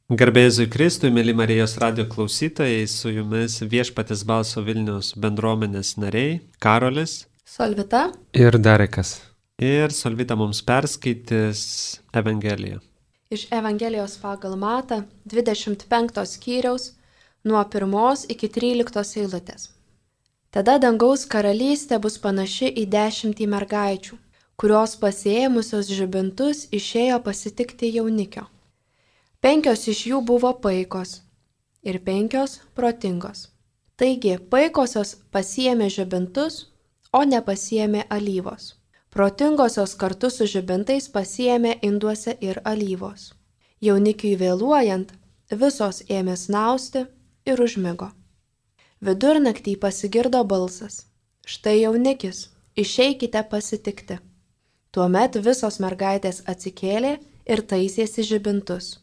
Garbėzui Kristui, mėly Marijos radio klausytojai, su jumis Viešpaties balso Vilniaus bendruomenės nariai Karolis, Solvita ir Darekas. Ir Solvita mums perskaitys Evangeliją. Iš Evangelijos pagal Matą 25 skyriaus nuo 1 iki 13 eilutės. Tada dangaus karalystė bus panaši į 10 mergaičių, kurios pasiėmusios žibintus išėjo pasitikti jaunikio. 5 iš jų buvo paikos ir 5 protingos. Taigi, paikosios pasiėmė žibintus, o nepasiėmė alyvos. Protingosios kartu su žibintais pasiėmė induose ir alyvos. Jaunikiui vėluojant, visos ėmė snausti ir užmigo. Vidurnaktį pasigirdo balsas: štai jaunikis, išeikite pasitikti. Tuomet visos mergaitės atsikėlė ir taisėsi žibintus.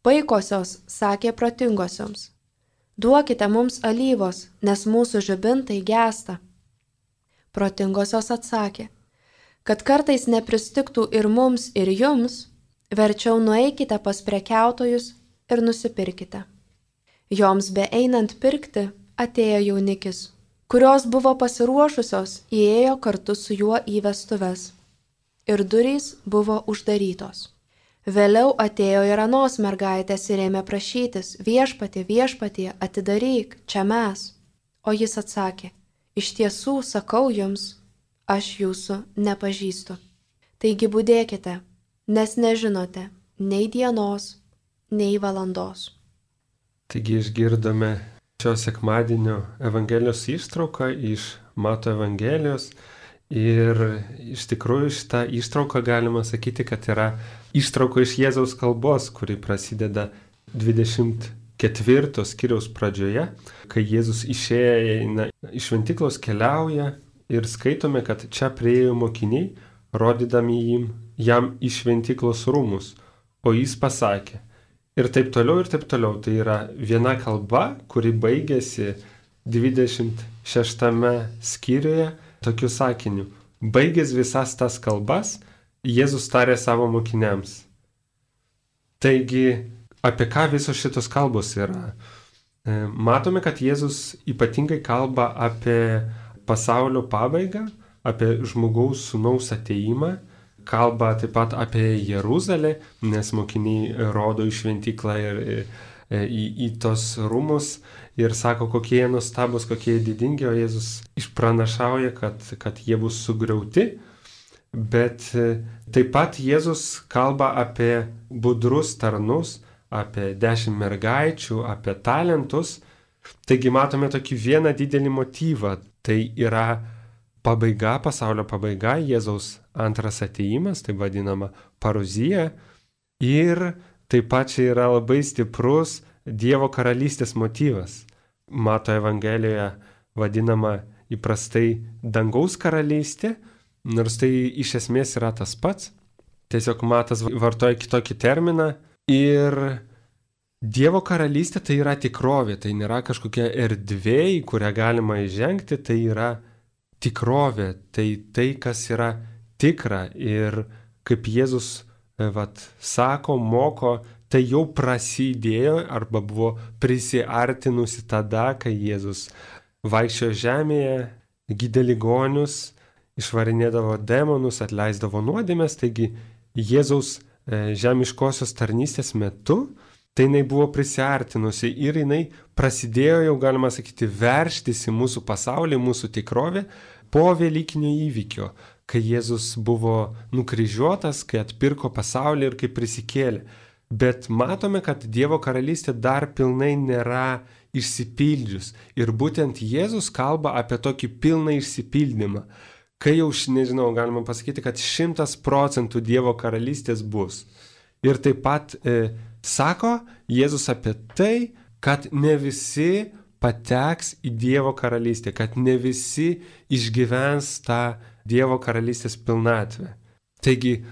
Paikosios sakė protingosioms: duokite mums alyvos, nes mūsų žibintai gęsta. Protingosios atsakė: kad kartais nepristigtų ir mums, ir jums, verčiau nueikite pas prekiautojus ir nusipirkite. Joms beeinant pirkti atėjo jaunikis, kurios buvo pasiruošusios, įėjo kartu su juo į vestuves. Ir durys buvo uždarytos. Vėliau atėjo ir anos mergaitės ir ėmė prašytis: viešpatie, viešpatie, atidaryk, čia mes. O jis atsakė: iš tiesų sakau jums, aš jūsų nepažįstu. Taigi budėkite, nes nežinote nei dienos, nei valandos. Taigi išgirdome šio sekmadienio Evangelijos ištrauką iš Mato Evangelijos. Ir iš tikrųjų šitą ištrauką galima sakyti, kad yra ištrauka iš Jėzaus kalbos, kuri prasideda 24 skyriaus pradžioje, kai Jėzus išėję iš šventyklos keliauja ir skaitome, kad čia priėjo mokiniai, rodydami jam į šventyklos rūmus, o jis pasakė. Ir taip toliau, ir taip toliau. Tai yra viena kalba, kuri baigėsi 26 skyriuje tokiu sakiniu: baigęs visas tas kalbas, Jėzus tarė savo mokiniams. Taigi, apie ką visos šitos kalbos yra? Matome, kad Jėzus ypatingai kalba apie pasaulio pabaigą, apie žmogaus sūnaus atėjimą, kalba taip pat apie Jeruzalę, nes mokiniai rodo į šventyklą ir į tos rūmus ir sako, kokie jie nuostabus, kokie jie didingi, o Jėzus išpranašauja, kad jie bus sugriauti. Bet taip pat Jėzus kalba apie budrus tarnus, apie 10 mergaičių, apie talentus. Taigi matome tokį vieną didelį motyvą. Tai yra pabaiga, pasaulio pabaiga, Jėzaus antras atėjimas, tai vadinama paruzija. Ir taip pat čia yra labai stiprus Dievo karalystės motyvas. Mato Evangelijoje vadinama įprastai dangaus karalystė, nors tai iš esmės yra tas pats. Tiesiog Matas vartoja kitokį terminą. Ir Dievo karalystė tai yra tikrovė, tai nėra kažkokia erdvė, į kurią galima įžengti, tai yra tikrovė, tai kas yra tikra. Ir kaip Jėzus sako, moko, tai jau prasidėjo arba buvo prisiartinusi tada, kai Jėzus vaikščiojo žemėje, gydė ligonius, išvarinėdavo demonus, atleisdavo nuodėmes. Taigi Jėzaus žemiškosios tarnystės metu tai jinai buvo prisiartinusi ir jinai prasidėjo, jau galima sakyti, verštis į mūsų pasaulį, mūsų tikrovę po Velykinio įvykio, kai Jėzus buvo nukryžiuotas, kai atpirko pasaulį ir kai prisikėlė. Bet matome, kad Dievo karalystė dar pilnai nėra išsipildžius. Ir būtent Jėzus kalba apie tokį pilną išsipildymą. Kai jau, nežinau, galima pasakyti, kad 100% Dievo karalystės bus. Ir taip pat sako Jėzus apie tai, kad ne visi pateks į Dievo karalystę, kad ne visi išgyvens tą Dievo karalystės pilnatvę. Taigi,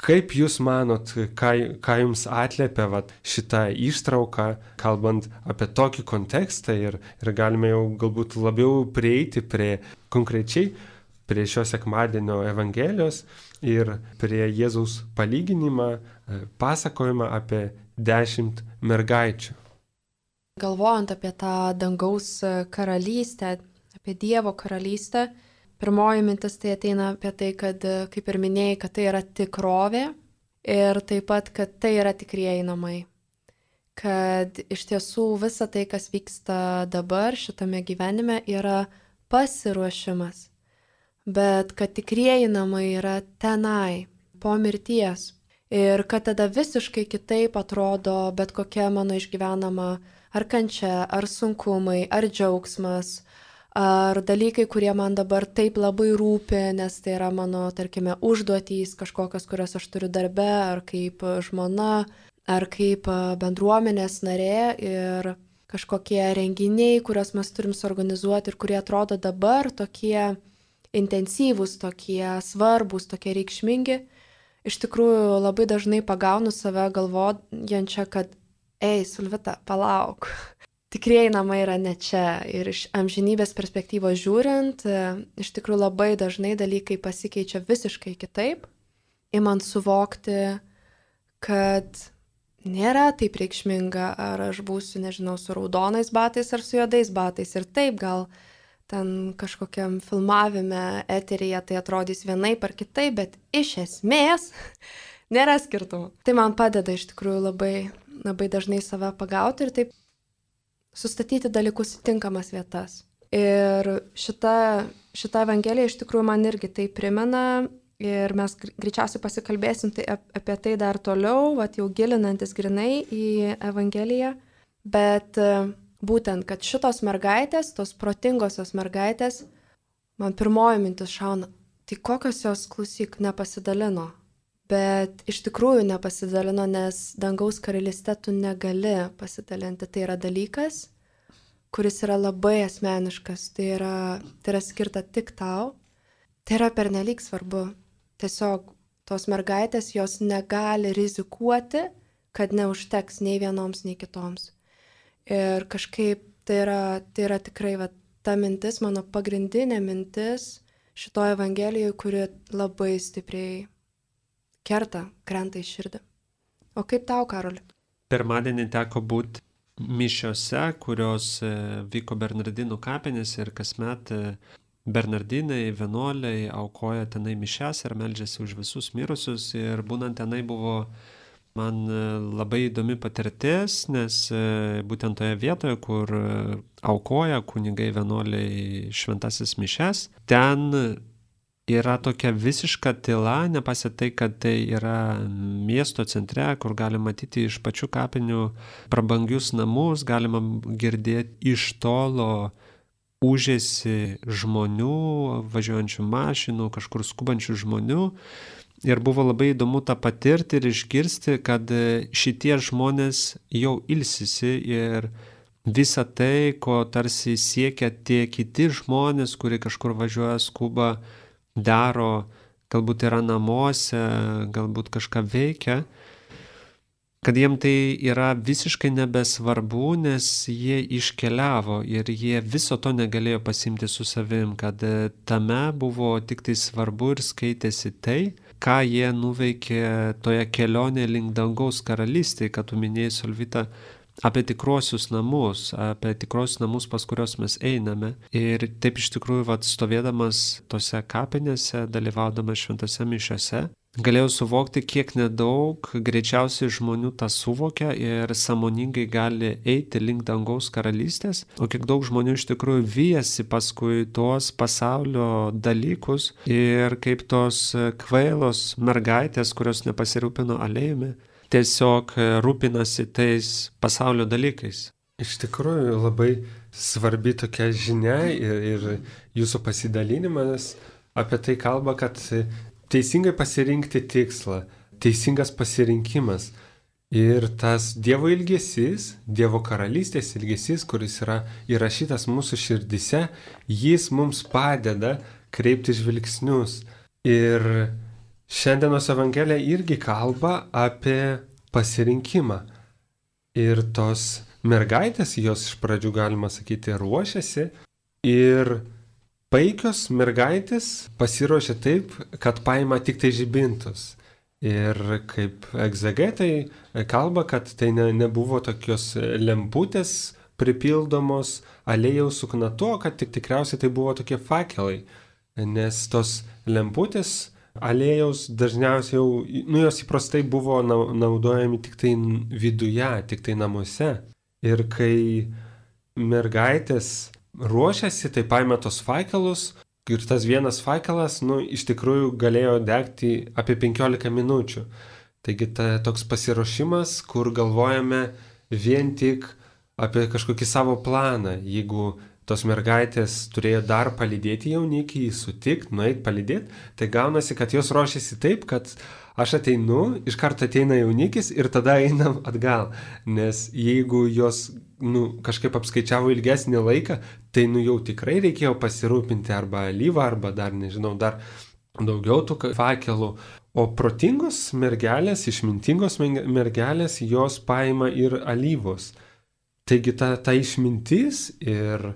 kaip jūs manot, ką jums atliepia šitą ištrauką, kalbant apie tokį kontekstą ir galime jau galbūt labiau prieiti prie konkrečiai, prie šio sekmadienio Evangelijos ir prie Jėzaus palyginimą, pasakojimą apie 10 mergaičių. Galvojant apie tą dangaus karalystę, apie Dievo karalystę, pirmoji mintis tai ateina apie tai, kad, kaip ir minėjai, kad tai yra tikrovė ir taip pat, kad tai yra tikrieji namai. Kad iš tiesų visa tai, kas vyksta dabar šitame gyvenime, yra pasiruošimas. Bet kad tikrieji namai yra tenai, po mirties. Ir kad tada visiškai kitaip atrodo bet kokia mano išgyvenama ar kančia, ar sunkumai, ar džiaugsmas, ar dalykai, kurie man dabar taip labai rūpi, nes tai yra mano, tarkime, užduotys kažkokios, kurias aš turiu darbe, ar kaip žmona, ar kaip bendruomenės narė ir kažkokie renginiai, kuriuos mes turim suorganizuoti ir kurie atrodo dabar tokie intensyvūs, tokie svarbus, tokie reikšmingi. Iš tikrųjų labai dažnai pagaunu save galvojančią, kad ei, Sulvita, palauk. Tikrieji namai yra ne čia. Ir iš amžinybės perspektyvos žiūrint, iš tikrųjų labai dažnai dalykai pasikeičia visiškai kitaip. Imant suvokti, kad nėra taip reikšminga, ar aš būsiu, nežinau, su raudonais batais ar su juodais batais. Ir taip gal ten kažkokiam filmavime, eteryje tai atrodys vienaip ar kitaip, bet iš esmės nėra skirtumų. Tai man padeda iš tikrųjų labai dažnai save pagauti ir taip sustatyti dalykus į tinkamas vietas. Ir šita Evangelija iš tikrųjų man irgi tai primena ir mes greičiausiai pasikalbėsim apie tai dar toliau, jau gilinantis grinai į Evangeliją, bet būtent, kad šitos mergaitės, tos protingosios mergaitės, man pirmoji mintis šauna, tai kokios jos, klausyk, nepasidalino. Bet iš tikrųjų nepasidalino, nes dangaus karalyste tu negali pasidalinti. Tai yra dalykas, kuris yra labai asmeniškas, tai yra skirta tik tau. Tai yra pernelyg svarbu. Tiesiog tos mergaitės, jos negali rizikuoti, kad neužteks nei vienoms, nei kitoms. Ir kažkaip tai yra tikrai ta mintis, mano pagrindinė mintis šitoje Evangelijoje, kuri labai stipriai krenta į širdį. O kaip tau, Karoli? Pirmadienį teko būti mišiose, kurios vyko Bernardinų kapinėse ir kasmet Bernardinai, vienuoliai aukoja tenai mišias ir meldžiasi už visus mirusius. Ir būnant tenai buvo man labai įdomi patirtis, nes būtent toje vietoje, kur aukoja kunigai vienuoliai šventasis mišias, ten yra tokia visiška tyla, nepasitai, kad tai yra miesto centre, kur galima matyti iš pačių kapinių prabangius namus, galima girdėti iš tolo ūžėsi žmonių, važiuojančių mašinų, kažkur skubančių žmonių. Ir buvo labai įdomu tą patirti ir išgirsti, kad šitie žmonės jau ilsisi ir visa tai, ko tarsi siekia tie kiti žmonės, kurie kažkur važiuoja, skuba, daro, galbūt yra namuose, galbūt kažką veikia, kad jiem tai yra visiškai nebesvarbu, nes jie iškeliavo ir jie viso to negalėjo pasimti su savim, kad tame buvo tik tai svarbu ir skaitėsi tai, ką jie nuveikė toje kelionėje link dangaus karalystėje, kad tu minėjai, Solvita, apie tikrosius namus, pas kurios mes einame. Ir taip iš tikrųjų, stovėdamas tose kapinėse, dalyvaudamas šventose mišiose, galėjau suvokti, kiek nedaug greičiausiai žmonių tą suvokia ir sąmoningai gali eiti link dangaus karalystės, o kiek daug žmonių iš tikrųjų vyjasi paskui tuos pasaulio dalykus ir kaip tos kvailos mergaitės, kurios nepasirūpino aliejumi, tiesiog rūpinasi tais pasaulio dalykais. Iš tikrųjų labai svarbi tokia žinia ir jūsų pasidalinimas apie tai kalba, kad teisingai pasirinkti tikslą, teisingas pasirinkimas ir tas Dievo ilgesys, Dievo karalystės ilgesys, kuris yra įrašytas mūsų širdise, jis mums padeda kreipti žvilgsnius. Ir šiandienos Evangelija irgi kalba apie pasirinkimą. Ir tos mergaitės, jos iš pradžių, galima sakyti, ruošiasi ir paikios mergaitės pasiruošia taip, kad paima tik tai žibintus. Ir kaip egzegetai kalba, kad tai nebuvo tokios lemputės pripildomos aliejaus sukna to, kad tikriausiai tai buvo tokie fakelai. Nes tos lemputės aliejaus dažniausiai jau, jos įprastai buvo naudojami tik tai viduje, tik tai namuose. Ir kai mergaitės ruošiasi, tai paima tos fakelus. Ir tas vienas fakelas, iš tikrųjų galėjo degti apie 15 minučių. Taigi toks pasiruošimas, kur galvojame vien tik apie kažkokį savo planą. Jeigu tos mergaitės turėjo dar palydėti jaunikį, sutikti, nueiti palydėti, tai gaunasi, kad jos ruošiasi taip, kad aš ateinu, iš karto ateina jaunikis ir tada einam atgal. Nes jeigu jos kažkaip apskaičiavo ilgesnį laiką, tai jau tikrai reikėjo pasirūpinti arba alyvą, arba dar, nežinau, dar daugiau tų fakelų. O protingos mergelės, išmintingos mergelės, jos paima ir alyvos. Taigi ta išmintis ir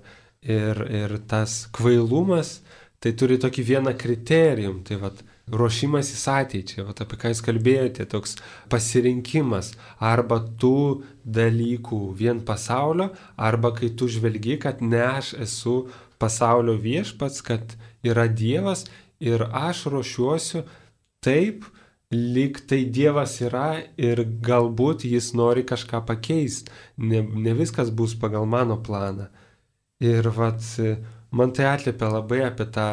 tas kvailumas, tai turi tokį vieną kriterijum, tai ruošimasis ateičiai, apie ką jūs kalbėjote, toks pasirinkimas arba tų dalykų vien pasaulio, arba kai tu žvelgi, kad ne aš esu pasaulio viešpats, kad yra Dievas ir aš ruošiuosiu taip, lyg tai Dievas yra ir galbūt jis nori kažką pakeisti, ne viskas bus pagal mano planą. Ir man tai atliepia labai apie tą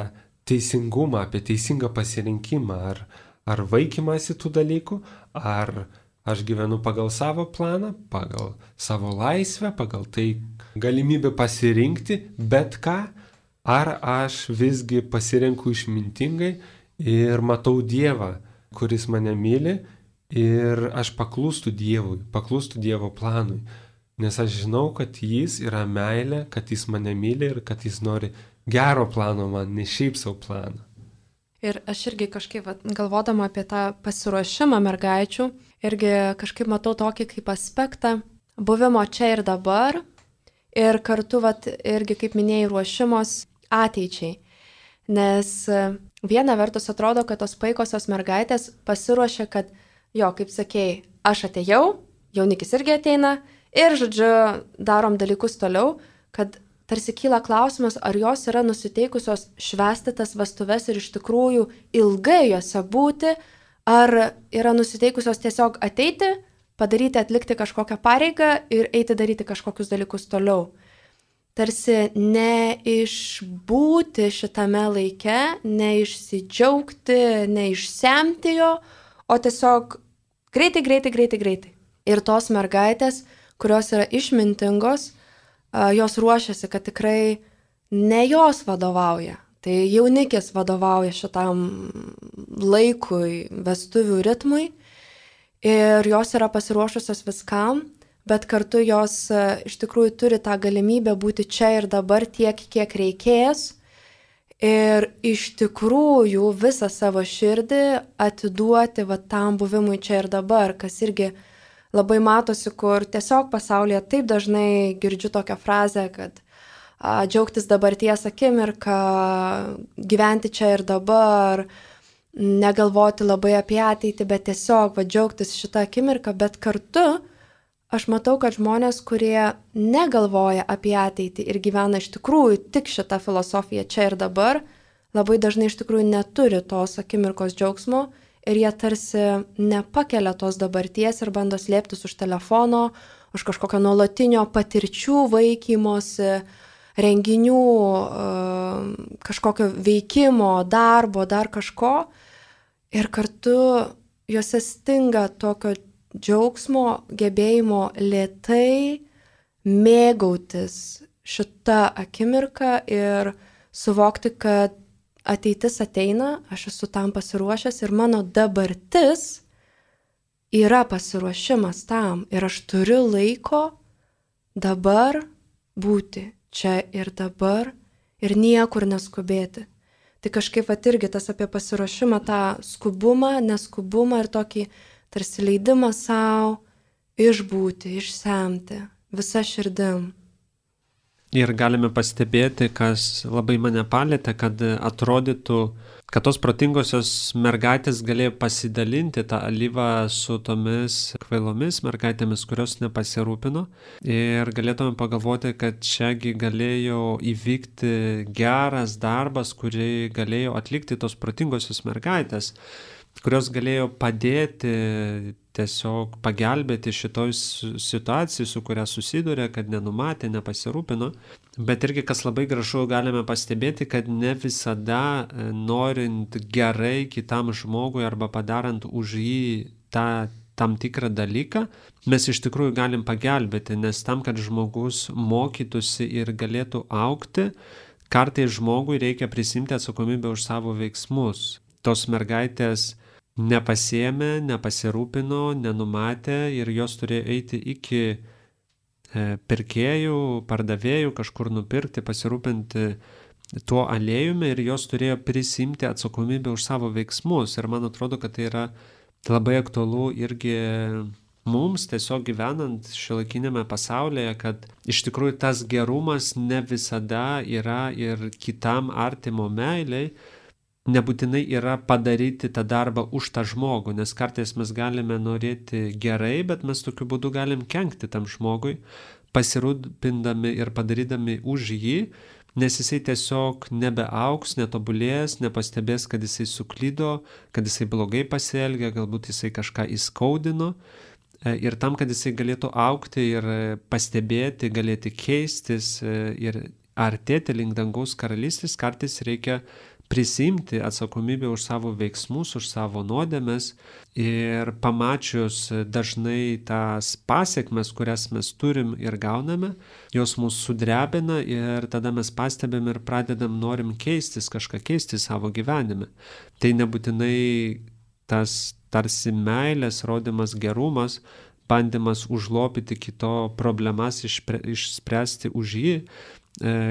teisingumą, apie teisingą pasirinkimą, ar vaikymasi tų dalykų, ar aš gyvenu pagal savo planą, pagal savo laisvę, pagal tai galimybę pasirinkti bet ką, ar aš visgi pasirenku išmintingai ir matau Dievą, kuris mane myli ir aš paklūstu Dievui, paklūstu Dievo planui, nes aš žinau, kad jis yra meilė, kad jis mane myli ir kad jis nori gero plano man, ne šiaip savo planą. Ir aš irgi kažkaip, galvodama apie tą pasiruošimą mergaičių, irgi kažkaip matau tokį kaip aspektą buvimo čia ir dabar ir kartu, irgi kaip minėjai, ruošimos ateičiai. Nes viena vertus atrodo, kad tos paikosios mergaitės pasiruošia, kad kaip sakėjai, aš atėjau, jaunikis irgi ateina ir, žodžiu, darom dalykus toliau, kad tarsi kyla klausimas, ar jos yra nusiteikusios švęsti tas vestuves ir iš tikrųjų ilgai jose būti, ar yra nusiteikusios tiesiog ateiti, padaryti, atlikti kažkokią pareigą ir eiti daryti kažkokius dalykus toliau. Tarsi neišbūti šitame laike, neišsidžiaugti, neišsemti jo, o tiesiog greitai. Ir tos mergaitės, kurios yra išmintingos, jos ruošiasi, kad tikrai ne jos vadovauja. Tai jaunikis vadovauja šitam laikui, vestuvių ritmui ir jos yra pasiruošusios viskam, bet kartu jos iš tikrųjų turi tą galimybę būti čia ir dabar tiek, kiek reikės ir iš tikrųjų visą savo širdį atiduoti tam buvimui čia ir dabar, kas irgi labai matosi, kur tiesiog pasaulyje taip dažnai girdžiu tokią frazę, kad džiaugtis dabarties akimirką, gyventi čia ir dabar, negalvoti labai apie ateitį, bet tiesiog džiaugtis šitą akimirką, bet kartu aš matau, kad žmonės, kurie negalvoja apie ateitį ir gyvena iš tikrųjų tik šitą filosofiją čia ir dabar, labai dažnai iš tikrųjų neturi tos akimirkos džiaugsmo, ir jie tarsi nepakelia tos dabarties ir bando slėptis už telefono, už kažkokio nuolatinio patirčių vaikymosi, renginių, kažkokio veikimo, darbo, dar kažko. Ir kartu juose stinga tokio džiaugsmo, gebėjimo lėtai mėgautis šitą akimirką ir suvokti, kad ateitis ateina, aš esu tam pasiruošęs ir mano dabartis yra pasiruošimas tam ir aš turiu laiko dabar būti čia ir dabar ir niekur neskubėti. Tai kažkaip irgi tas apie pasiruošimą, tą skubumą, neskubumą ir tokį tarsi leidimą savo išbūti, išsemti visą širdim. Ir galime pastebėti, kas labai mane palėtė, kad atrodytų, kad tos protingosios mergaitės galėjo pasidalinti tą alyvą su tomis kvailomis mergaitėmis, kurios nepasirūpino. Ir galėtume pagalvoti, kad čiagi galėjo įvykti geras darbas, kurį galėjo atlikti tos protingosios mergaitės, kurios galėjo padėti, tiesiog pagelbėti šitoj situacijai, su kuria susidūrė, kad nenumatė, nepasirūpino. Bet irgi, kas labai gražu, galime pastebėti, kad ne visada norint gerai kitam žmogui arba padarant už jį tam tikrą dalyką, mes iš tikrųjų galim pagelbėti, nes tam, kad žmogus mokytųsi ir galėtų augti, kartais žmogui reikia prisimti atsakomybę už savo veiksmus. Tos mergaitės nepasiėmė, nepasirūpino, nenumatė ir jos turėjo eiti iki pirkėjų, pardavėjų, kažkur nupirkti, pasirūpinti tuo aliejumi ir jos turėjo prisimti atsakomybę už savo veiksmus. Ir man atrodo, kad tai yra labai aktualu irgi mums tiesiog gyvenant šiuolaikinėme pasaulyje, kad iš tikrųjų tas gerumas ne visada yra ir kitam artimo meiliai, nebūtinai yra padaryti tą darbą už tą žmogų, nes kartais mes galime norėti gerai, bet mes tokiu būdu galim kenkti tam žmogui, pasirūpindami ir padarydami už jį, nes jisai tiesiog nebeaugs, netobulės, nepastebės, kad jisai suklydo, kad jisai blogai pasielgė, galbūt jisai kažką įskaudino. Ir tam, kad jisai galėtų augti ir pastebėti, galėti keistis ir artėti link dangaus karalystės, kartais reikia prisimti atsakomybę už savo veiksmus, už savo nuodėmes ir pamačius dažnai tas pasiekmes, kurias mes turim ir gauname, jos mus sudrebina ir tada mes pastebim ir pradedam norim keistis, kažką keisti savo gyvenime. Tai nebūtinai tas tarsi meilės rodymas, gerumas, bandymas užlopyti kito problemas, išspręsti už jį,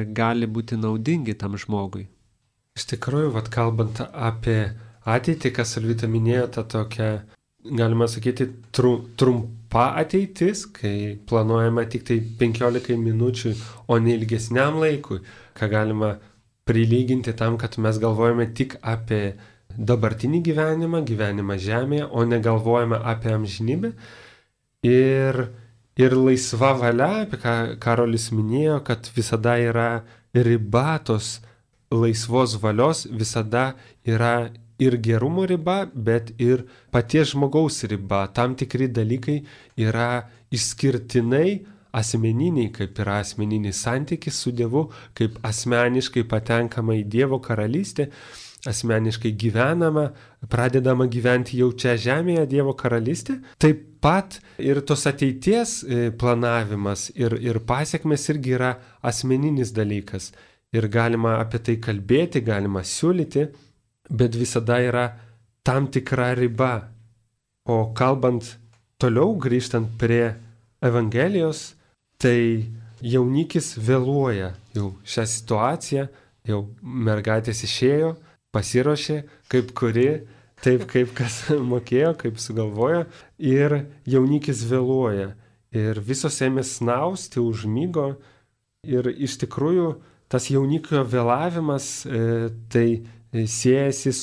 gali būti naudingi tam žmogui. Iš tikrųjų, kalbant apie ateitį, kas Alvita minėjo, ta tokia, galima sakyti, trumpa ateitis, kai planuojama tik tai 15 minučių, o ne ilgesniam laikui, ką galima prilyginti tam, kad mes galvojame tik apie dabartinį gyvenimą žemėje, o negalvojame apie amžinybę. Ir laisva valia, apie ką Karolis minėjo, kad visada yra riba tos laisvos valios, visada yra ir gerumo riba, bet ir paties žmogaus riba. Tam tikri dalykai yra išskirtinai asmeniniai, kaip yra asmeninis santykis su Dievu, kaip asmeniškai patenkama į Dievo karalystę, asmeniškai gyvenama, pradedama gyventi jau čia žemėje Dievo karalystė. Taip pat ir tos ateities planavimas ir pasiekmes irgi yra asmeninis dalykas. Ir galima apie tai kalbėti, galima siūlyti, bet visada yra tam tikra riba. O kalbant toliau, grįžtant prie Evangelijos, tai jaunikis vėluoja jau šią situaciją, jau mergaitės išėjo, pasiruošė, kaip kuri, taip kaip kas mokėjo, kaip sugalvojo, ir jaunikis vėluoja. Ir visos ėmė snausti, užmygo ir iš tikrųjų tas jaunikio vėlavimas tai siejasi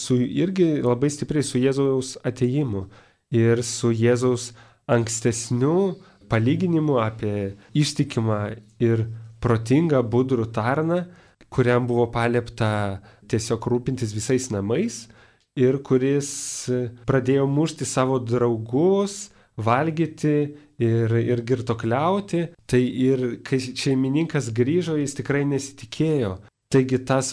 irgi labai stipriai su Jėzaus atėjimu ir su Jėzaus ankstesniu palyginimu apie ištikimą ir protingą budrų tarną, kuriam buvo paliepta tiesiog rūpintis visais namais ir kuris pradėjo mušti savo draugus, valgyti ir girtokliauti, tai ir kai šeimininkas grįžo, jis tikrai nesitikėjo. Taigi tas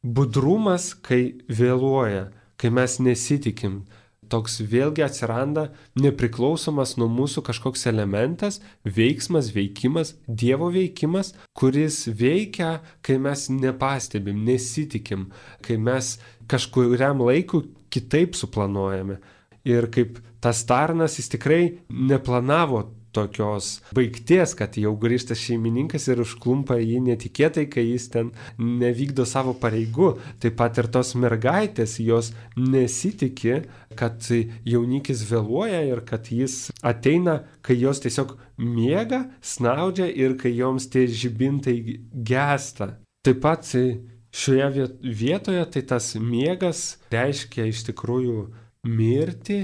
budrumas, kai vėluoja, kai mes nesitikim, toks vėlgi atsiranda nepriklausomas nuo mūsų kažkoks elementas, veiksmas, veikimas, Dievo veikimas, kuris veikia, kai mes nepastebim, nesitikim, kai mes kažkuriam laikui kitaip suplanuojame. Ir kaip tas tarnas, jis tikrai neplanavo tokios baigties, kad jau grįžta šeimininkas ir užklumpa jį netikėtai, kai jis ten nevykdo savo pareigų. Taip pat ir tos mergaitės, jos nesitikė, kad jaunikis vėluoja ir kad jis ateina, kai jos tiesiog miega, snaudžia ir kai joms tie žibintai gęsta. Taip pat šioje vietoje tai tas miegas reiškia iš tikrųjų mirtį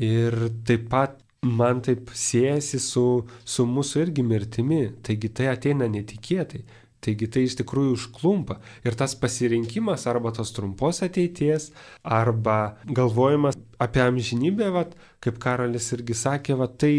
ir taip pat man taip siejasi su mūsų irgi mirtimi. Taigi tai ateina netikėtai. Taigi tai iš tikrųjų užklumpa. Ir tas pasirinkimas arba tos trumpos ateities, arba galvojimas apie amžinybę, kaip Karolis irgi sakė, tai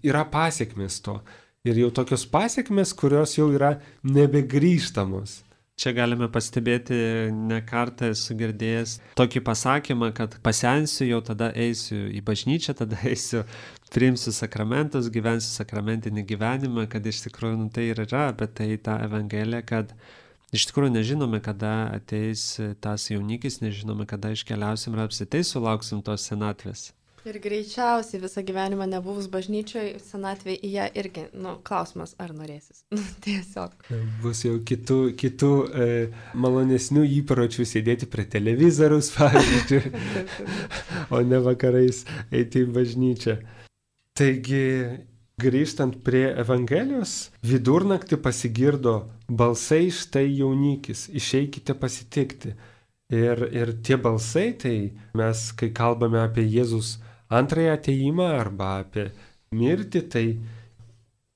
yra pasiekmės to. Ir jau tokios pasiekmės, kurios jau yra nebegrįžtamos. Čia galime pastebėti, ne kartą esu girdėjęs tokį pasakymą, kad pasensiu, jau tada eisiu į bažnyčią, tada eisiu, priimsiu sakramentus, gyvensiu sakramentinį gyvenimą, kad iš tikrųjų tai ir yra, bet tai ta Evangelija, kad iš tikrųjų nežinome, kada ateis tas jaunikis, nežinome, kada iškeliausim ir apsitai sulauksim tos senatvės. Ir greičiausiai visą gyvenimą nebuvus bažnyčioje, senatvėje į ją irgi, klausimas, ar norėsis. Tiesiog. Bus jau kitų malonesnių įpročių sėdėti prie televizoriaus, pavyzdžiui, o ne vakarais eiti į bažnyčią. Taigi, grįžtant prie Evangelijos, vidurnaktį pasigirdo balsai, štai jaunikis, išeikite pasitikti. Ir tie balsai, tai mes, kai kalbame apie Jėzus antrąjį atėjimą arba apie mirtį, tai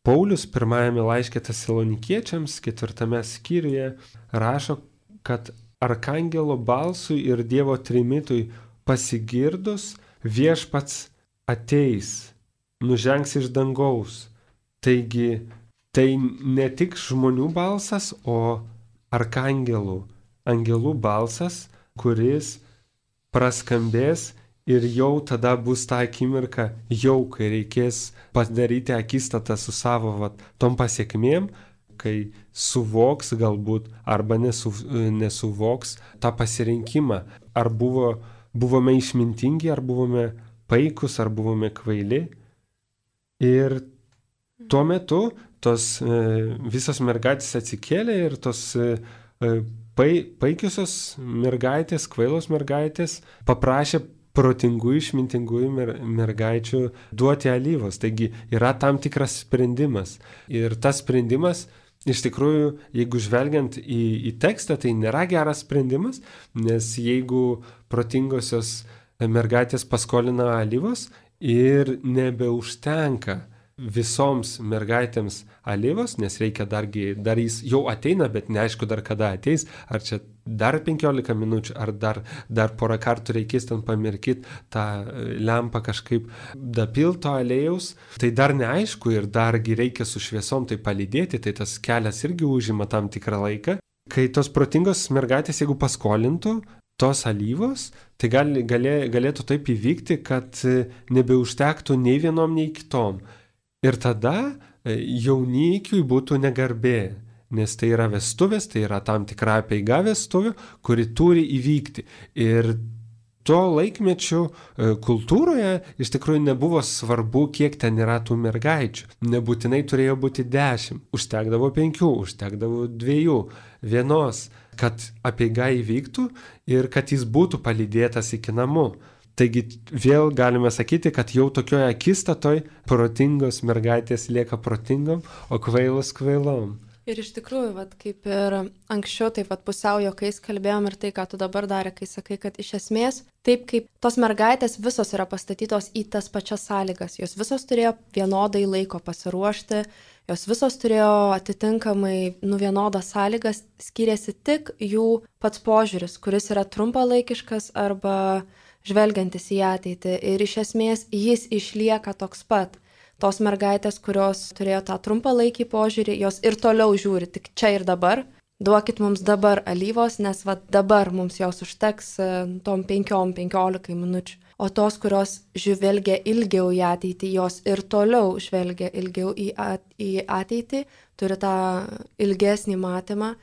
Paulius pirmajame laiške Tesalonikiečiams 4 skyriuje rašo, kad arkangelo balsui ir Dievo trimitui pasigirdus viešpats ateis, nužengs iš dangaus. Taigi tai ne tik žmonių balsas, o angelų balsas, kuris praskambės ir jau tada bus ta akimirka, jau kai reikės padaryti akistatą su savo tom pasiekmėm, kai suvoks galbūt arba nesuvoks tą pasirinkimą. Ar buvome išmintingi, ar buvome paikus, ar buvome kvaili. Ir tuo metu tos visos mergaitės atsikėlė ir tos paikiusios mergaitės, kvailos mergaitės paprašė protingųjų, išmintingųjų mergaičių duoti alyvos. Taigi yra tam tikras sprendimas. Ir tas sprendimas, iš tikrųjų, jeigu žvelgiant į tekstą, tai nėra geras sprendimas, nes jeigu protingosios mergaitės paskolina alyvos ir nebeužtenka visoms mergaitėms alyvos, nes reikia dar jis jau ateina, bet neaišku dar kada ateis, ar čia dar 15 minučių, ar dar porą kartų reikės ten pamirkyti tą lempą kažkaip dapilto aliejaus, tai dar neaišku ir dargi reikia su šviesom tai palydėti, tai tas kelias irgi užima tam tikrą laiką. Kai tos protingos mergaitės, jeigu paskolintų tos alyvos, tai galėtų taip įvykti, kad nebeužtektų nei vienom, nei kitom. Ir tada jaunikiui būtų negarbė, nes tai yra vestuvės, tai yra tam tikra apeiga vestuvių, kuri turi įvykti. Ir tuo laikmečiu kultūroje iš tikrųjų nebuvo svarbu, kiek ten yra tų mergaičių. Nebūtinai turėjo būti 10, užtekdavo 5, užtekdavo 2, 1, kad apeiga įvyktų ir kad jis būtų palydėtas iki namų. Taigi vėl galime sakyti, kad jau tokioje akistatoj protingos mergaitės lieka protingom, o kvailos kvailom. Ir iš tikrųjų, kaip ir anksčiau, taip pusiau juokais kalbėjom ir tai, ką tu dabar darė, kai sakai, kad iš esmės, taip kaip tos mergaitės visos yra pastatytos į tas pačias sąlygas, jos visos turėjo vienodai laiko pasiruošti, jos visos turėjo atitinkamai vienodas sąlygas, skiriasi tik jų pats požiūris, kuris yra trumpalaikiškas arba žvelgiantis į ateitį. Ir iš esmės jis išlieka toks pat. Tos mergaitės, kurios turėjo tą trumpalaikį požiūrį, jos ir toliau žiūri tik čia ir dabar. Duokit mums dabar alyvos, nes dabar mums jos užteks tom 5-15 minučių. O tos, kurios žvelgia ilgiau į ateitį, jos ir toliau žvelgia ilgiau į ateitį, turi tą ilgesnį matymą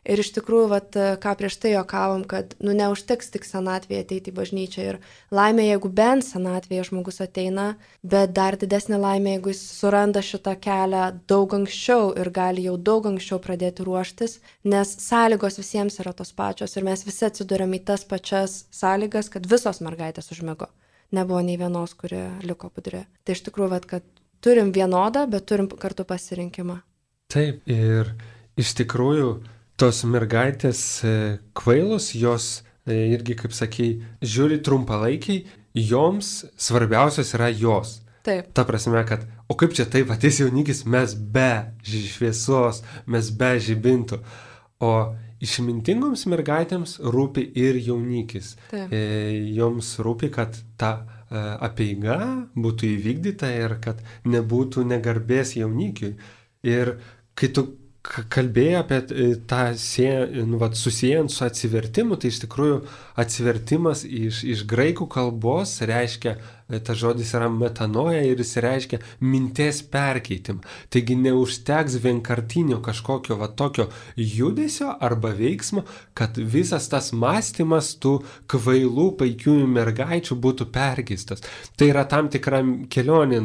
Ir iš tikrųjų, ką prieš tai juokavom, kad neužteks tik senatvėje ateiti į bažnyčią. Ir laimė, jeigu bent senatvėje žmogus ateina, bet dar didesnė laimė, jeigu jis suranda šitą kelią daug anksčiau ir gali jau daug anksčiau pradėti ruoštis, nes sąlygos visiems yra tos pačios ir mes visi atsiduriam į tas pačias sąlygas, kad visos mergaitės užmigo. Nebuvo nei vienos, kuri liko budri. Tai iš tikrųjų, kad turim vienodą, bet turim kartu pasirinkimą. Taip, ir iš tikrųjų tos mergaitės kvailos, jos irgi, kaip sakai, žiūri trumpalaikiai, joms svarbiausios yra jos. Taip. Ta prasme, kad, o kaip čia taip, ateis jaunikis, mes be šviesos, mes be žibintų. O išmintingoms mergaitėms rūpi ir jaunikis. Taip. Joms rūpi, kad ta apeiga būtų įvykdyta ir kad nebūtų negarbės jaunikiui. Ir kai tu kalbėjai apie tą susijęs su atsivertimu, tai iš tikrųjų atsivertimas iš graikų kalbos reiškia, tas žodis yra metanoja ir jis reiškia minties perkeitimą. Taigi neužteks vienkartinio kažkokio tokio judesio arba veiksmo, kad visas tas mąstymas tų kvailų paikiųjų mergaičių būtų perkeistas. Tai yra tam tikra kelionė,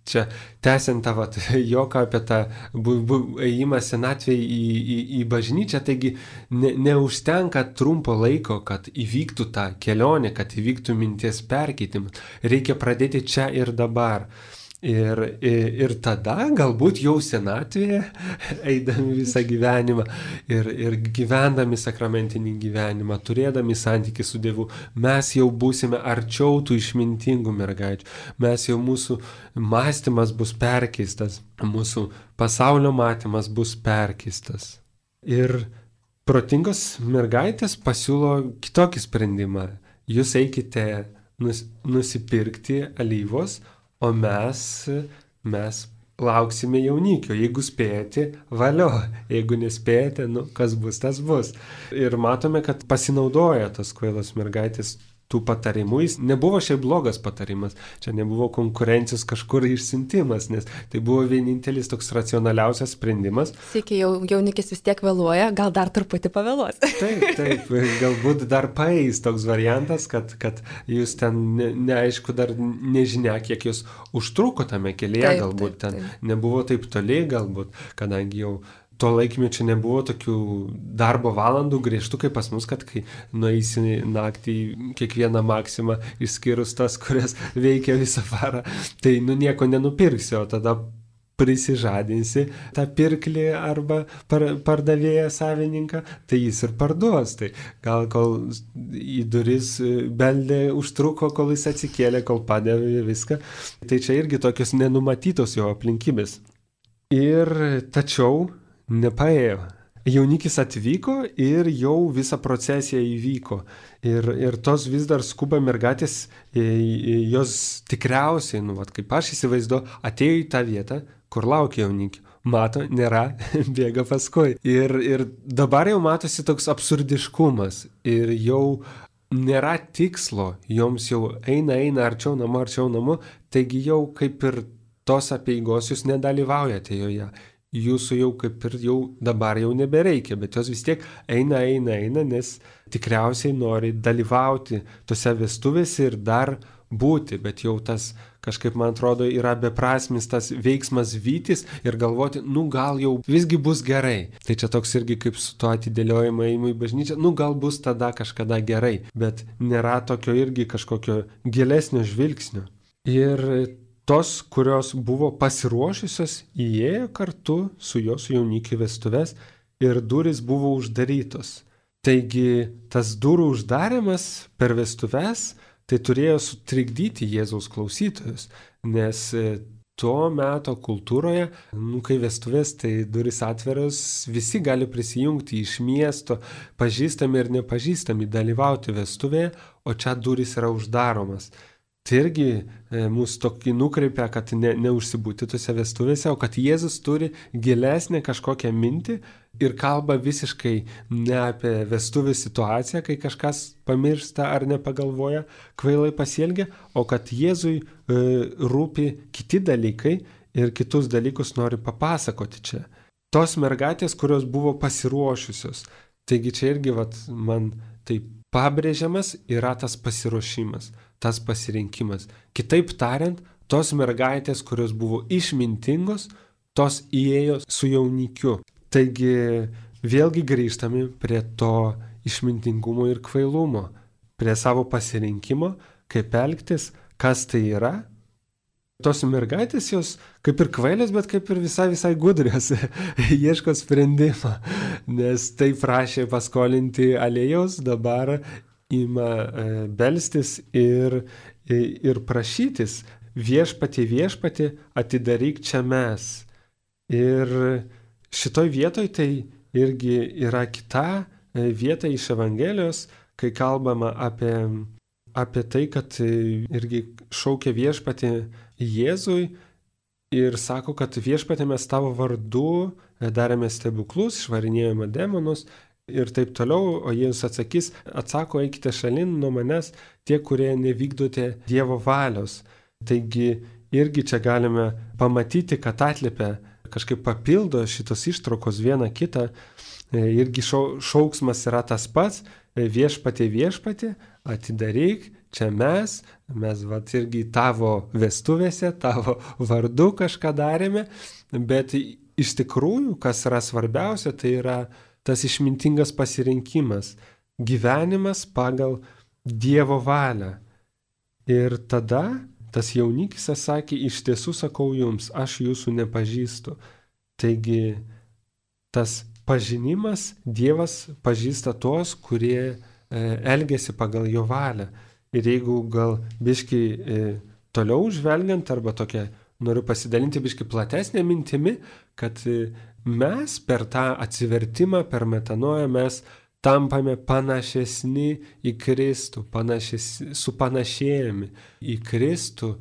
čia tęsiant tą joką apie tą ėjimą senatvėje į bažnyčią, taigi neužtenka trumpo laiko, kad įvyktų tą kelionę, kad įvyktų minties perkeitimas. Reikia pradėti čia ir dabar. Ir tada galbūt jau senatvėje, eidami visą gyvenimą ir gyvendami sakramentinį gyvenimą, turėdami santykį su Dievu, mes jau būsime arčiau tų išmintingų mergaičių. Mūsų mąstymas bus perkeistas, mūsų pasaulio matymas bus perkeistas. Ir protingos mergaitės pasiūlo kitokį sprendimą. Jūs eikite nusipirkti alyvos, o mes lauksime jaunikio. Jeigu spėjate, valio. Jeigu nespėjate, kas bus, tas bus. Ir matome, kad pasinaudoja tos kvailos mergaitės tų patarimų. Jis nebuvo šiaip blogas patarimas. Čia nebuvo konkurencijos kažkur išsiuntimas, nes tai buvo vienintelis toks racionaliausias sprendimas. Sėkiai jaunikis vis tiek vėluoja, gal dar truputį pavėluos. Taip, galbūt dar paeis toks variantas, kad jūs ten neaišku, dar nežinia, kiek jūs užtruko tame kelyje, galbūt ten nebuvo taip toli, galbūt, kadangi jau tuo laikmečiu nebuvo tokių darbo valandų griežtų kaip pas mus, kad kai nueisi naktį kiekvieną maksimą, išskyrus tas, kurias veikia visą parą, tai nieko nenupirksi, o tada prisižadinsi tą pirklį arba pardavėją savininką, tai jis ir parduos. Tai gal kol į duris beldė užtruko, kol jis atsikėlė, kol padavė viską. Tai čia irgi tokios nenumatytos jo aplinkybės. Ir tačiau nepaėjo. Jaunikis atvyko ir jau visa procesija įvyko. Ir tos vis dar skuba mergaitės, jos tikriausiai, kaip aš įsivaizduoju, atėjo į tą vietą, kur laukia jaunikio. Mato, nėra, bėga paskui. Ir dabar jau matosi toks absurdiškumas. Ir jau nėra tikslo, joms jau eina arčiau namo, taigi jau kaip ir tos apeigos jūs nedalyvaujate joje. Jūsų jau kaip ir jau dabar jau nebereikia, bet jos vis tiek eina, nes tikriausiai nori dalyvauti tose vestuvėse ir dar būti, bet jau tas kažkaip, man atrodo, yra beprasmis tas veiksmas vytis ir galvoti, gal jau visgi bus gerai. Tai čia toks irgi kaip su to atidėliojimo ėjimu į bažnyčią, gal bus tada kažkada gerai, bet nėra tokio irgi kažkokio gilesnio žvilgsnio. Ir tos, kurios buvo pasiruošusios, įėjo kartu su jos jaunikiu vestuves ir durys buvo uždarytos. Taigi tas durų uždarimas per vestuves tai turėjo sutrikdyti Jėzaus klausytojus, nes tuo meto kultūroje, kai vestuvės, tai durys atveros, visi gali prisijungti iš miesto, pažįstami ir nepažįstami, dalyvauti vestuvėje, o čia durys yra uždaromas. Tai irgi mūsų tokį nukreipia, kad neužsibūti tose vestuvėse, o kad Jėzus turi gilesnę kažkokią mintį ir kalba visiškai ne apie vestuvių situaciją, kai kažkas pamiršta ar nepagalvoja, kvailai pasielgia, o kad Jėzui rūpi kiti dalykai ir kitus dalykus nori papasakoti čia. tos mergaitės, kurios buvo pasiruošusios. Taigi čia irgi man tai pabrėžiamas yra tas pasiruošimas, tas pasirinkimas. Kitaip tariant, tos mergaitės, kurios buvo išmintingos, tos įėjo su jaunikiu. Taigi vėlgi grįžtame prie to išmintingumo ir kvailumo, prie savo pasirinkimo, kaip elgtis, kas tai yra. Tos mergaitės jos kaip ir kvailės, bet kaip ir visai gudrios, ieško sprendimą, nes tai prašė paskolinti aliejaus, dabar ima belstis ir prašytis, viešpatie, atidaryk čia mes. Ir šitoj vietoj tai irgi yra kita vieta iš Evangelijos, kai kalbama apie tai, kad irgi šaukia viešpatį Jėzui ir sako, kad viešpatė mes tavo vardu darėme stebuklus, išvarinėjome demonus ir taip toliau, o Jėzus atsako, eikite šalin nuo manęs tie, kurie nevykdote Dievo valios. Taigi irgi čia galime pamatyti, kad atliepia, kažkaip papildo šitos ištraukos vieną kitą, irgi šauksmas yra tas pats, viešpatie, atidaryk, čia mes irgi tavo vestuvėse, tavo vardu kažką darėme, bet iš tikrųjų, kas yra svarbiausia, tai yra tas išmintingas pasirinkimas, gyvenimas pagal Dievo valią. Ir tada tas jaunikis sakė, iš tiesų sakau jums, aš jūsų nepažįstu. Taigi tas pažinimas, Dievas pažįsta tuos, kurie elgiasi pagal jo valią. Ir jeigu gal biški toliau žvelgiant, arba tokia, noriu pasidalinti biški platesnė mintimi, kad mes per tą atsivertimą, per metanoją mes tampame panašesni į Kristų, supanašėjami į Kristų,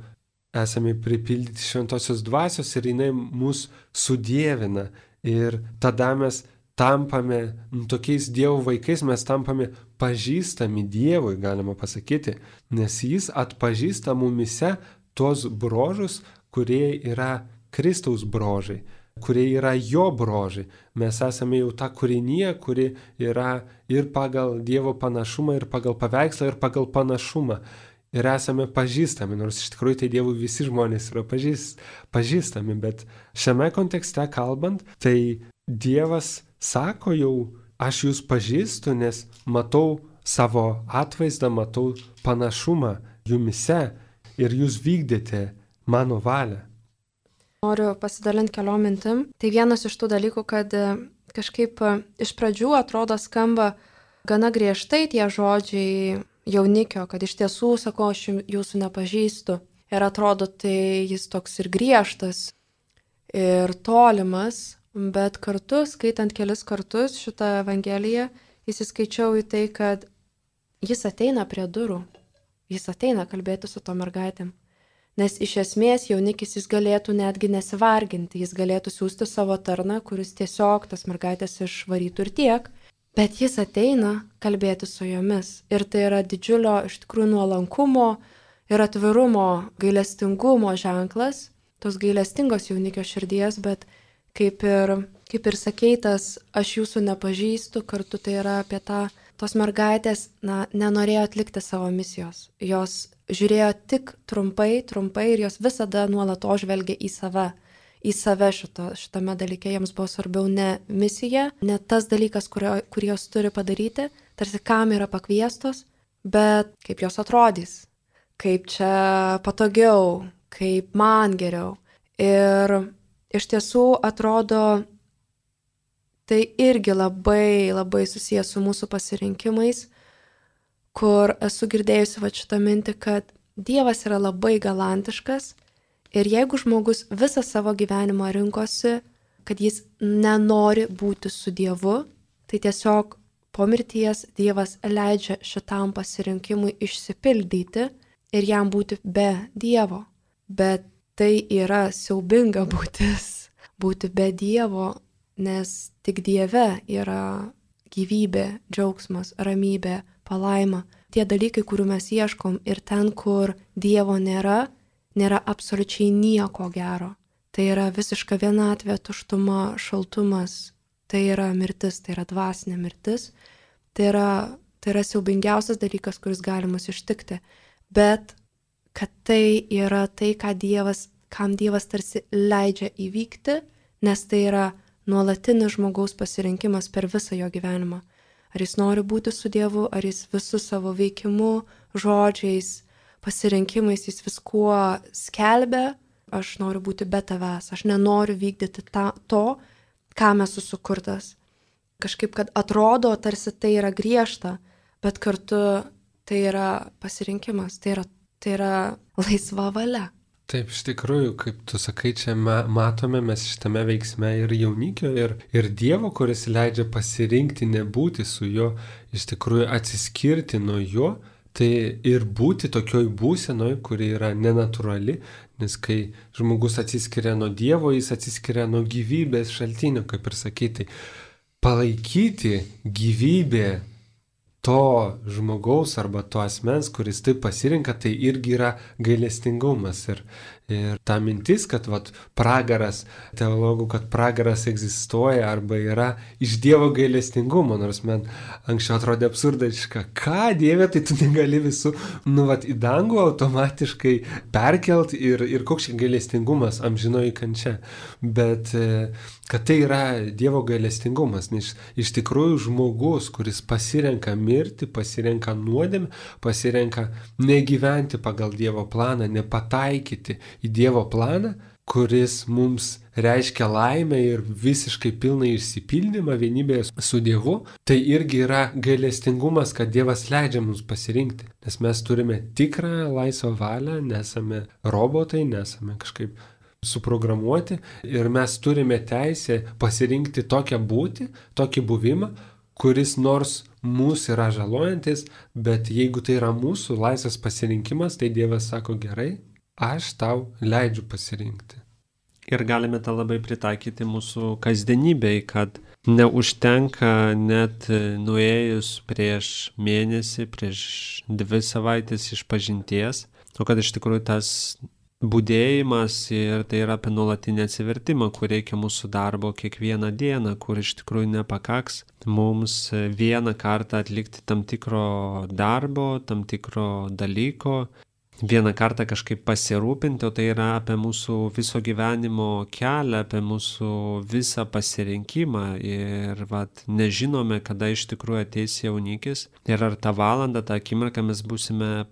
esame pripildyti šventosios dvasios ir jinai mus sudievina. Ir tada mes tampame tokiais Dievo vaikais, mes tampame pažįstami Dievui, galima pasakyti, nes jis atpažįsta mumise tuos bruožus, kurie yra Kristaus bruožai, kurie yra jo bruožai. Mes esame jau ta kūrinija, kuri yra ir pagal Dievo panašumą, ir pagal paveikslą, ir pagal panašumą. Ir esame pažįstami, nors iš tikrųjų tai Dievui visi žmonės yra pažįstami, bet šiame kontekste kalbant, tai Dievas sako jau, aš jūs pažįstu, nes matau savo atvaizdą, matau panašumą jumise ir jūs vykdėte mano valią. Noriu pasidalinti keliom mintim. Tai vienas iš tų dalykų, kad kažkaip iš pradžių atrodo skamba gana griežtai tie žodžiai jaunikio, kad iš tiesų sako, aš jūsų nepažįstu. Ir atrodo, tai jis toks ir griežtas, ir tolimas, bet kartu, skaitant kelis kartus šitą Evangeliją, įsiskaičiau į tai, kad jis ateina prie durų, jis ateina kalbėti su to mergaitėm. Nes iš esmės jaunikis jis galėtų netgi nesivarginti, jis galėtų siųsti savo tarną, kuris tiesiog tas mergaitės išvarytų ir tiek, bet jis ateina kalbėti su jomis. Ir tai yra didžiulio iš tikrųjų nuolankumo ir atvirumo, gailestingumo ženklas, tos gailestingos jaunikio širdies, bet kaip ir sakeitas, aš jūsų nepažįstu, kartu tai yra apie tos mergaitės, nenorėjo atlikti savo misijos. Jos žiūrėjo tik trumpai ir jos visada nuolatos žvelgia į save šitame dalyke. Jiems buvo svarbiau ne misija, ne tas dalykas, kurį jos turi padaryti, tarsi kam yra pakviestos, bet kaip jos atrodys, kaip čia patogiau, kaip man geriau. Ir iš tiesų atrodo, tai irgi labai, labai susijęs su mūsų pasirinkimais, kur esu girdėjusi šitą mintį, kad Dievas yra labai galantiškas ir jeigu žmogus visą savo gyvenimą rinkosi, kad jis nenori būti su Dievu, tai tiesiog po mirties Dievas leidžia šitam pasirinkimui išsipildyti ir jam būti be Dievo. Bet tai yra siaubinga būti be Dievo, nes tik Dieve yra gyvybė, džiaugsmas, ramybė, palaima. Tie dalykai, kurių mes ieškom ir ten, kur Dievo nėra absoliučiai nieko gero. tai yra visiška vienatvė, tuštuma, šaltumas, tai yra mirtis, tai yra dvasinė mirtis, tai yra siaubingiausias dalykas, kuris gali mus ištikti, bet kad tai yra tai, kam Dievas tarsi leidžia įvykti, nes tai yra nuolatinis žmogaus pasirinkimas per visą jo gyvenimą. Ar jis nori būti su Dievu, ar jis visų savo veikimu, žodžiais, pasirinkimais, jis viskuo skelbia, aš noriu būti be tavęs, aš nenoriu vykdyti to, kam esu sukurtas. Kažkaip, kad atrodo, tarsi tai yra griežta, bet kartu tai yra pasirinkimas, tai yra laisva valia. Taip, iš tikrųjų, kaip tu sakai, čia matome mes šitame veiksme ir jaunikio, ir Dievo, kuris leidžia pasirinkti nebūti su juo, iš tikrųjų atsiskirti nuo jo, tai ir būti tokioj būsenoj, kuri yra nenatūrali, nes kai žmogus atsiskiria nuo Dievo, jis atsiskiria nuo gyvybės šaltinio, kaip ir sakyti, palaikyti gyvybę to žmogaus arba to asmens, kuris taip pasirinka, tai irgi yra gailestingumas. Ir ta mintis, kad pragaras, teologų, kad pragaras egzistuoja arba yra iš Dievo gailestingumo, nors man anksčiau atrodė absurdiška, ką Dieve, tai tu negali visų, į dangų automatiškai perkelt ir koks gailestingumas, amžinoji kančia. Bet kad tai yra Dievo gailestingumas, nes iš tikrųjų žmogus, kuris pasirenka mirti, pasirenka nuodėmę, pasirenka negyventi pagal Dievo planą, nepataikyti į Dievo planą, kuris mums reiškia laimę ir visiškai pilną išsipildymą vienybėje su Dievu, tai irgi yra gailestingumas, kad Dievas leidžia mums pasirinkti. Nes mes turime tikrą laisvą valią, nesame robotai, nesame kažkaip suprogramuoti ir mes turime teisę pasirinkti tokią būtį, tokį buvimą, kuris nors mūsų yra žalojantis, bet jeigu tai yra mūsų laisvas pasirinkimas, tai Dievas sako gerai, aš tau leidžiu pasirinkti. Ir galime tą labai pritaikyti mūsų kasdienybei, kad neužtenka net nuėjus prieš mėnesį, prieš 2 savaitės išpažinties, o kad iš tikrųjų tas budėjimas ir tai yra apie nuolatinį atsivertimą, kur reikia mūsų darbo kiekvieną dieną, kur iš tikrųjų nepakaks mums vieną kartą atlikti tam tikro darbo, tam tikro dalyko, vieną kartą kažkaip pasirūpinti, o tai yra apie mūsų viso gyvenimo kelią, apie mūsų visą pasirinkimą ir nežinome, kada iš tikrųjų ateis jaunikis ir ar tą valandą, tą akimirką mes būsime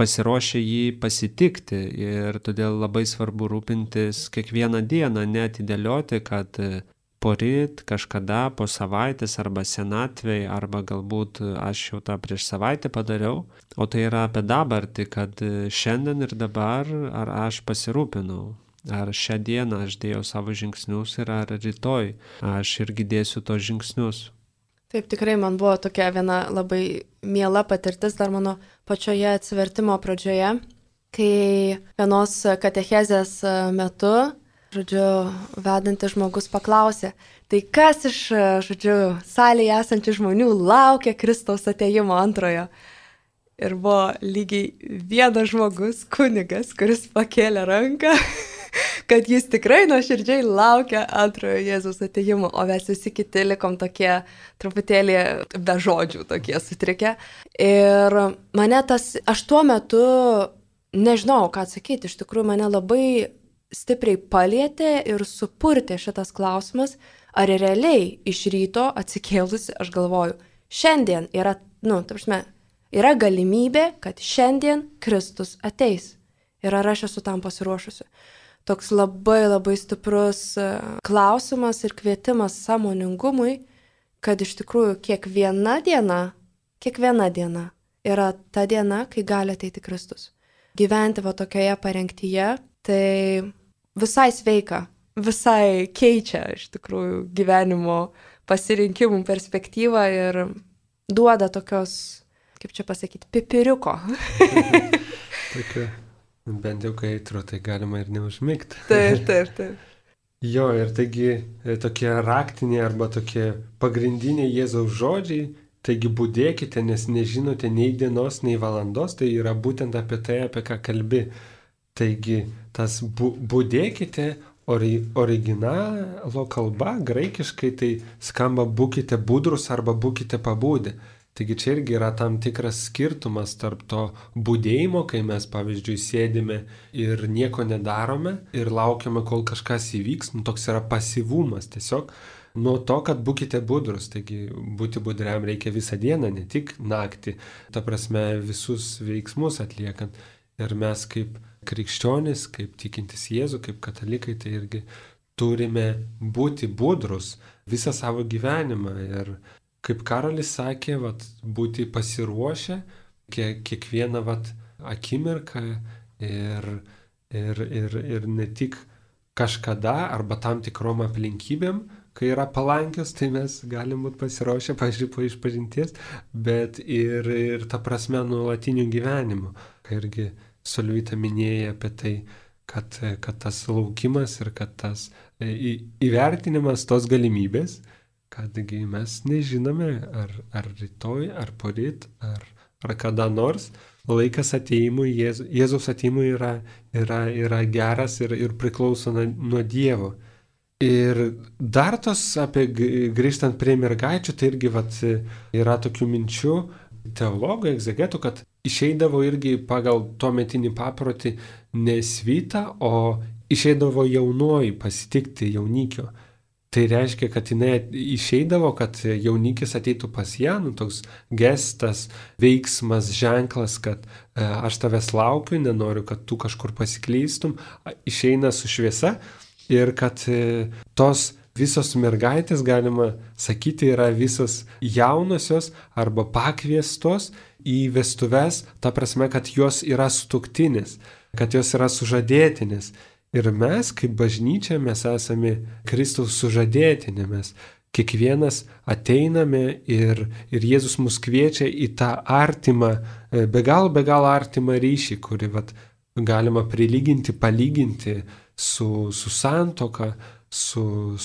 pasiruošę jį pasitikti ir todėl labai svarbu rūpintis kiekvieną dieną, neatidėlioti, kad poryt, kažkada, po savaitės arba senatvėj, arba galbūt aš jau tą prieš savaitę padariau, o tai yra apie dabartį, kad šiandien ir dabar ar aš pasirūpinau, ar šią dieną aš dėjau savo žingsnius ir ar rytoj aš irgi dėsiu tos žingsnius. Taip, tikrai man buvo tokia viena labai miela patirtis dar mano pačioje atsivertimo pradžioje, kai vienos katechezės metu vedantis žmogus paklausė, tai kas iš, salėje esančių žmonių laukia Kristaus atėjimo antrojo. Ir buvo lygiai vienas žmogus, kunigas, kuris pakėlė ranką, kad jis tikrai nuoširdžiai laukia antrojo Jėzaus atėjimo, o mes visi kiti likom tokie truputėlį be žodžių, tokie sutrikę. Ir aš tuo metu nežinau, ką atsakyti, iš tikrųjų mane labai stipriai palietė ir supurtė šitas klausimas, ar realiai iš ryto atsikėlusi aš galvoju, šiandien yra, yra galimybė, kad šiandien Kristus ateis. Ir ar aš esu tam pasiruošusi. Toks labai labai stiprus klausimas ir kvietimas sąmoningumui, kad iš tikrųjų kiekviena diena yra ta diena, kai gali ateiti Kristus. Gyventi tokioje parengtyje, tai visai sveika, visai keičia iš tikrųjų gyvenimo pasirinkimų perspektyvą ir duoda tokios, kaip čia pasakyti, pipiriuko. Tokia, bent jau kai eitro, tai galima ir neužmigti. Taip. Jo, ir taigi tokie raktiniai arba tokie pagrindiniai Jėzaus žodžiai, taigi budėkite, nes nežinote nei dienos, nei valandos, tai yra būtent apie tai, apie ką kalbi. Taigi tas budėkite originalo kalba, graikiškai tai skamba būkite budrus arba būkite pabudę. Taigi čia irgi yra tam tikras skirtumas tarp to budėjimo, kai mes, pavyzdžiui, sėdime ir nieko nedarome ir laukiame, kol kažkas įvyks, toks yra pasyvumas tiesiog, nuo to, kad būkite budrus. Taigi būti budriam reikia visą dieną, ne tik naktį, ta prasme visus veiksmus atliekant. Ir mes kaip krikščionys, kaip tikintis Jėzų, kaip katalikai, tai irgi turime būti budrus visą savo gyvenimą. Ir kaip Karolis sakė, būti pasiruošę kiekvieną akimirką ir ne tik kažkada arba tam tikrom aplinkybėm, kai yra palankios, tai mes galim būti pasiruošę, pavyzdžiui, po išpažinties, bet ir ta prasme nuolatiniu gyvenimu. Irgi Solvita minėjo apie tai, kad tas laukimas ir kad tas įvertinimas tos galimybės, kadgi mes nežinome, ar rytoj, ar poryt, ar kada nors laikas atėjimui, Jėzaus atėjimui yra geras ir priklauso nuo Dievo. Ir dar tos grįžtant prie mergaičių, tai irgi yra tokių minčių teologų, egzegetų, kad išeidavo irgi pagal tuometinį paprotį ne svita, o išeidavo jaunoji pasitikti jaunikio. Tai reiškia, kad jinai išeidavo, kad jaunikis ateitų pas ją, toks gestas, veiksmas, ženklas, kad aš tavęs laukiu, nenoriu, kad tu kažkur pasiklystum, išeina su šviesa ir kad tos visos mergaitės, galima sakyti, yra visos jaunosios arba pakviestos į vestuves, ta prasme, kad jos yra sutuoktinės, kad jos yra sužadėtinės. Ir mes, kaip bažnyčia, mes esame Kristaus sužadėtinė, mes kiekvienas ateiname ir Jėzus mus kviečia į tą artimą, be galo artimą ryšį, kurį galima prilyginti, palyginti su santuoka, su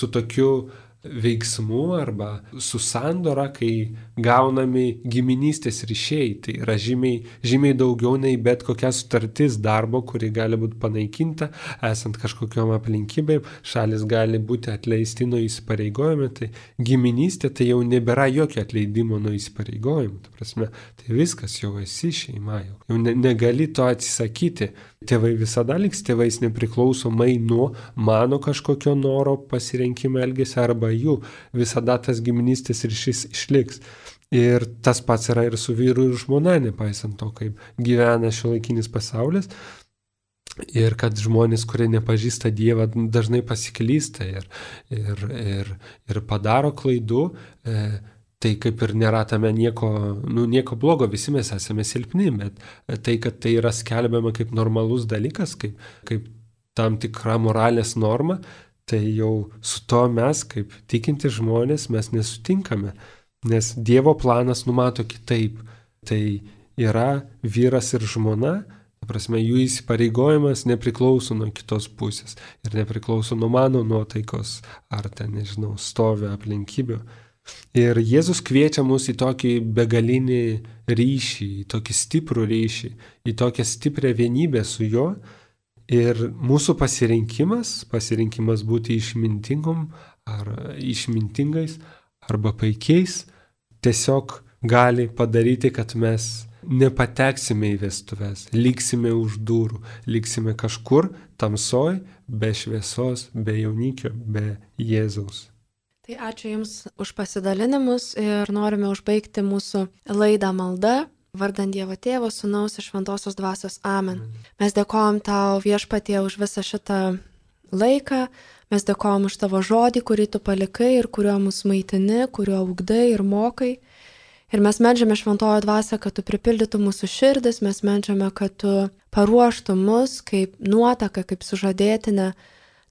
tokiu veiksmu arba su sandora, kai gaunami giminystės ryšiai. Tai yra žymiai daugiau nei bet kokia sutartis darbo, kuri gali būti panaikinta, esant kažkokiom aplinkybėm, šalis gali būti atleisti nuo įsipareigojimų, tai giminystė tai jau nebėra jokio atleidimo nuo įsipareigojimų. Ta prasme, tai viskas, jau esi šeima, jau negali to atsisakyti. Tėvai visada liks tėvais nepriklausomai nuo mano kažkokio noro pasirinkimo elgesio arba jų. Visada tas giminystės ryšys išliks. Ir tas pats yra ir su vyru ir žmona, nepaisant to, kaip gyvena šiuolaikinis pasaulis. Ir kad žmonės, kurie nepažįsta Dievą, dažnai pasiklysta ir padaro klaidų. Tai kaip ir nėra tame nieko blogo, visi mes esame silpni, bet tai, kad tai yra skelbiama kaip normalus dalykas, kaip tam tikra moralės norma, tai jau su to mes, kaip tikinti žmonės, mes nesutinkame, nes Dievo planas numato kitaip. Tai yra vyras ir žmona, ta prasme, jų įsipareigojimas nepriklauso nuo kitos pusės ir nepriklauso nuo mano nuotaikos ar stovio aplinkybių. Ir Jėzus kviečia mus į tokį begalinį ryšį, į tokį stiprų ryšį, į tokią stiprią vienybę su juo. Ir mūsų pasirinkimas būti išmintingais arba paikiais, tiesiog gali padaryti, kad mes nepateksime į vestuves, liksime už durų, liksime kažkur tamsoj, be šviesos, be jaunikio, be Jėzaus. Tai ačiū Jums už pasidalinimus ir norime užbaigti mūsų laidą malda, vardant Dievo Tėvo, Sūnaus ir Šventosios Dvasios. Amen. Mes dėkojam Tau, Viešpatie, už visą šitą laiką, mes dėkojam už Tavo žodį, kurį Tu palikai ir kuriuo mus maitini, kuriuo ugdai ir mokai. Ir mes meldžiame Šventojo Dvasią, kad Tu pripildytų mūsų širdis, mes meldžiame, kad Tu paruoštų mus kaip nuotaką, kaip sužadėtinę,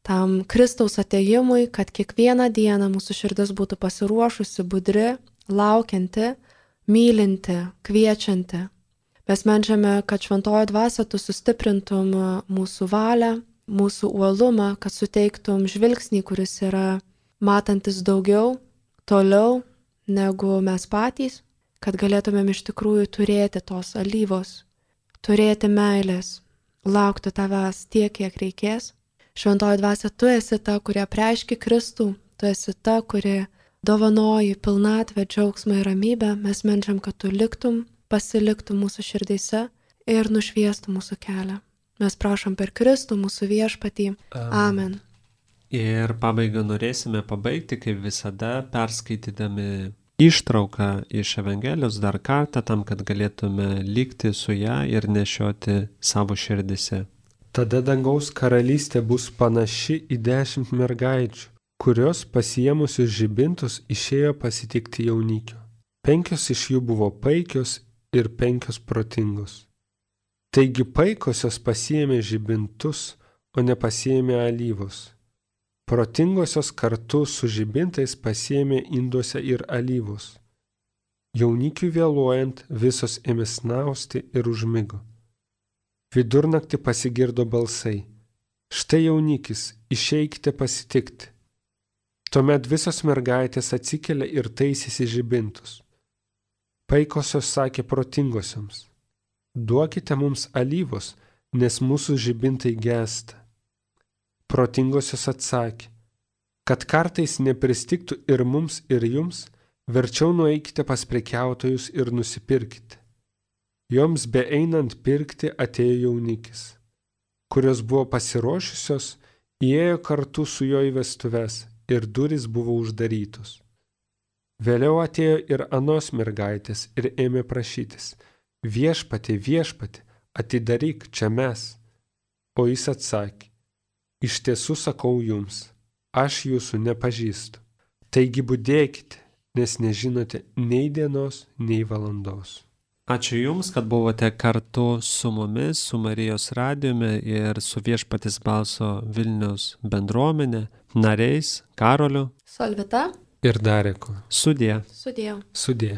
tam Kristaus atėjimui, kad kiekvieną dieną mūsų širdis būtų pasiruošusi, budri, laukianti, mylinti, kviečianti. Mes meldžiame, kad Šventojo Dvasia Tu sustiprintum mūsų valią, mūsų uolumą, kad suteiktum žvilgsnį, kuris yra matantis daugiau, toliau negu mes patys, kad galėtumėm iš tikrųjų turėti tos alyvos, turėti meilės, laukti tavęs tiek, kiek reikės. Šventoji dvasia, tu esi ta, kurie apreiški Kristų, tu esi ta, kuri dovanoji pilnatvę, džiaugsmą ir ramybę. Mes meldžiam, kad tu liktum, pasiliktum mūsų širdyse ir nušviestum mūsų kelią. Mes prašom per Kristų mūsų viešpatį. Amen. Ir pabaigą norėsime pabaigti, kaip visada, perskaitydami ištrauką iš Evangelijos dar kartą, tam, kad galėtume likti su ją ir nešioti savo širdise. Tada dangaus karalystė bus panaši į 10 mergaičių, kurios pasiėmusius žibintus išėjo pasitikti jaunikio. 5 iš jų buvo paikios ir 5 protingos. Taigi paikosios pasiėmė žibintus, o nepasiėmė alyvos. Protingosios kartu su žibintais pasiėmė induose ir alyvos. Jaunikiui vėluojant visos ėmė snausti ir užmigo. Vidurnaktį pasigirdo balsai: štai jaunikis, išeikite pasitikti. Tuomet visos mergaitės atsikėlė ir taisėsi žibintus. Paikosios sakė protingosioms: duokite mums alyvos, nes mūsų žibintai gęsta. Protingosios atsakė: kad kartais nepristigtų ir mums, ir jums, verčiau nueikite pas prekiautojus ir nusipirkite. Joms beeinant pirkti atėjo jaunikis. Kurios buvo pasiruošusios, įėjo kartu su juo į vestuves ir durys buvo uždarytos. Vėliau atėjo ir anos mergaitės ir ėmė prašytis: viešpatie, viešpatie, atidaryk, čia mes. O jis atsakė: iš tiesų sakau jums, aš jūsų nepažįstu. Taigi budėkite, nes nežinote nei dienos, nei valandos. Ačiū Jums, kad buvote kartu su mumis, su Marijos radijumi ir su Viešpaties balso Vilniaus bendruomenė, nariais Karoliu, Solvita ir Dareku. Sudie. Sudie. Sudie.